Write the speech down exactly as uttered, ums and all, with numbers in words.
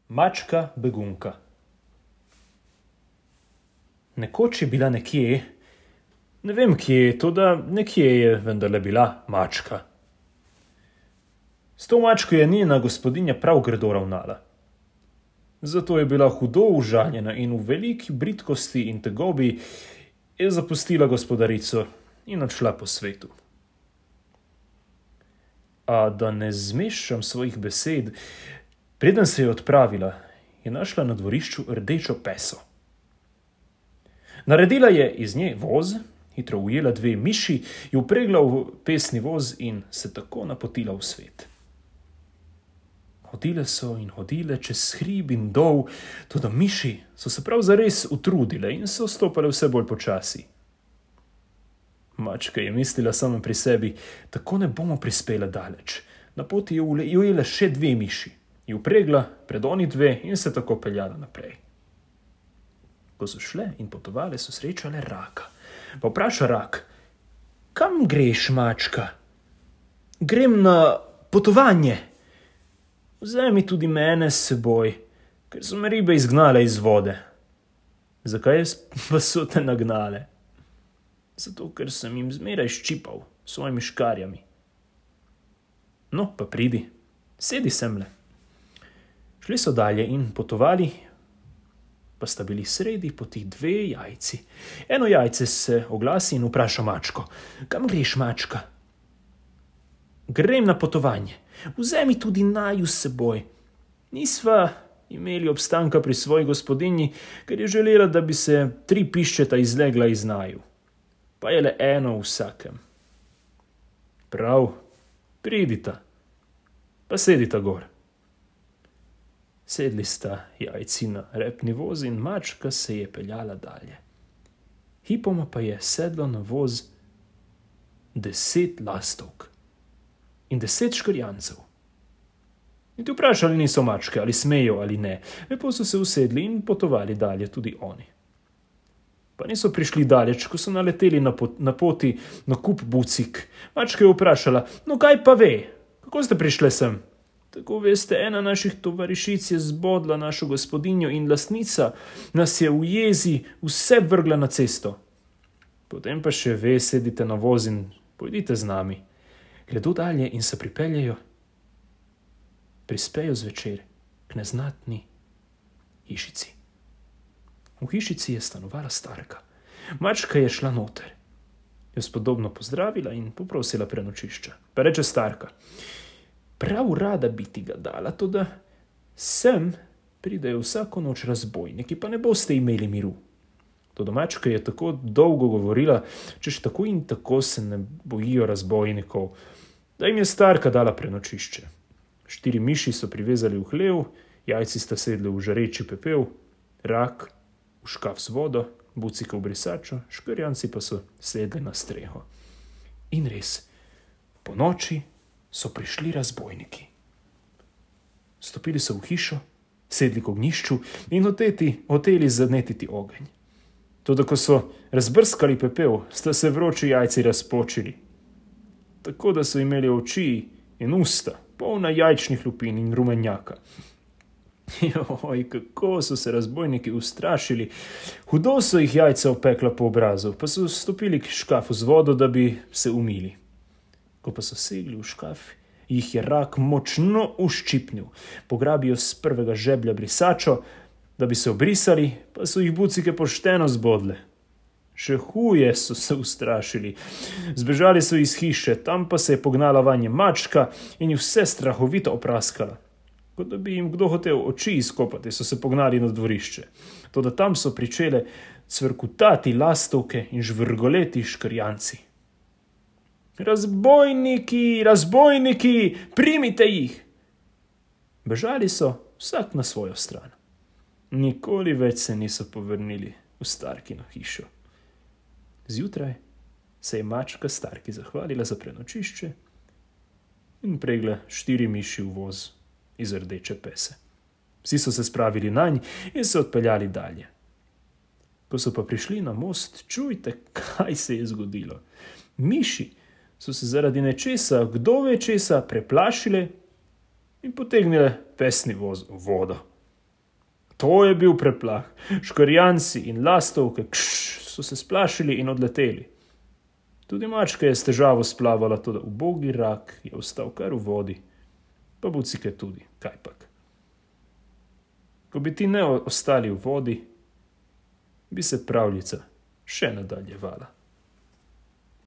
Mačka begunka. Nekoč je bila nekje, ne vem kje, toda nekje je vendarle bila mačka. S to mačko je njena gospodinja prav grdo ravnala. Zato je bila hudo užaljena in v veliki bridkosti in tegobi je zapustila gospodarico in odšla po svetu. A da ne zmeščam svojih besed, preden se je odpravila, je našla na dvorišču rdečo peso. Naredila je iz nje voz, hitro ujela dve miši, jo vpregla v pesni voz in se tako napotila v svet. Hodile so in hodile čez hrib in dol, toda miši so se prav zares utrudile in so stopale vse bolj počasi. Mačka je mislila sama pri sebi, tako ne bomo prispele daleč. Na poti je ujela še dve miši, jo vpregla pred oni dve in se tako peljala naprej. Ko so šle in potovale, so srečale raka. Pa vpraša rak: kam greš, mačka? Grem na potovanje. Vzemi tudi mene s seboj, ker so me ribe izgnale iz vode. Zakaj pa so te nagnale? Zato, ker sem jim zmeraj ščipal s svojimi škarjami. No, pa pridi, sedi semle. Šli so dalje in potovali, pa sta bili sredi poti dve jajci. Eno jajce se oglasi in vpraša mačko: kam greš, mačka? Grem na potovanje. Vzemi tudi naju s seboj. Nisva imeli obstanka pri svoji gospodinji, ker je želela, da bi se tri piščeta izlegla iz naju. Pa je le eno v vsakem. Prav, pridita, pa sedita gor. Sedli sta jajci na repni voz in mačka se je peljala dalje. Hipoma pa je sedlo na voz deset lastovk in deset škrjancev. In ti vprašali niso mačke, ali smejo ali ne. Lepo so se usedli in potovali dalje tudi oni. Pa niso prišli daleč, ko so naleteli na, pot, na poti na kup bucik. Mačka je vprašala: no kaj pa ve, kako ste prišle sem? Tako veste, ena naših tovarišic je zbodla našo gospodinjo in lastnica nas je v jezi vse vrgla na cesto. Potem pa še ve, sedite na voz in pojdite z nami. Gredo dalje in se pripeljejo, prispejo zvečer k neznatni hišici. V hišici je stanovala starka. Mačka je šla noter, jo spodobno pozdravila in poprosila prenočišča. Pa reče starka: prav rada bi ti ga dala, toda sem pridejo vsako noč razbojniki, pa ne boste imeli miru. Toda mačka je tako dolgo govorila, češ tako in tako se ne bojijo razbojnikov, da jim je starka dala prenočišče. Štiri miši so privezali v hlev, jajci sta sedli v žareči pepel, rak v škaf z vodo, bucika v brisačo, škrjanci pa so sedli na streho. In res, po noči so prišli razbojniki. Stopili so v hišo, sedli k ognjišču in hoteti, hoteli zanetiti ogenj. Toda ko so razbrskali pepel, sta se vroči jajci razpočili, tako da so imeli oči in usta polna jajčnih lupin in rumenjaka. Joj, kako so se razbojniki ustrašili. Hudo so jih jajca opekla po obrazu, pa so stopili k škafu z vodo, da bi se umili. Ko pa so segli v škaf, jih je rak močno uščipnil. Pograbijo s prvega žeblja brisačo, da bi se obrisali, pa so jih bucike pošteno zbodle. Še huje so se ustrašili. Zbežali so iz hiše, tam pa se je pognala vanje mačka in jih vse strahovito opraskala. Kot da bi jim kdo hotel oči izkopati, so se pognali na dvorišče. Toda tam so pričele cvrkutati lastovke in žvrgoleti škrjanci. Razbojniki, razbojniki, primite jih! Bežali so vsak na svojo stran. Nikoli več se niso povrnili v starkino hišo. Zjutraj se je mačka starki zahvalila za prenočišče in pregla štiri miši v voz iz rdeče pese. Vsi so se spravili nanj in se odpeljali dalje. Ko so pa prišli na most, čujte, kaj se je zgodilo. Miši so se zaradi nečesa, kdo ve česa, preplašile in potegnile pesni voz v vodo. To je bil preplah. Škorjanci in lastovke kšš, so se splašili in odleteli. Tudi mačka je s težavo splavala, toda ubogi rak je ostal kar v vodi. Pa bucike tudi, kajpak. Ko bi ti ne ostali v vodi, bi se pravljica še nadaljevala.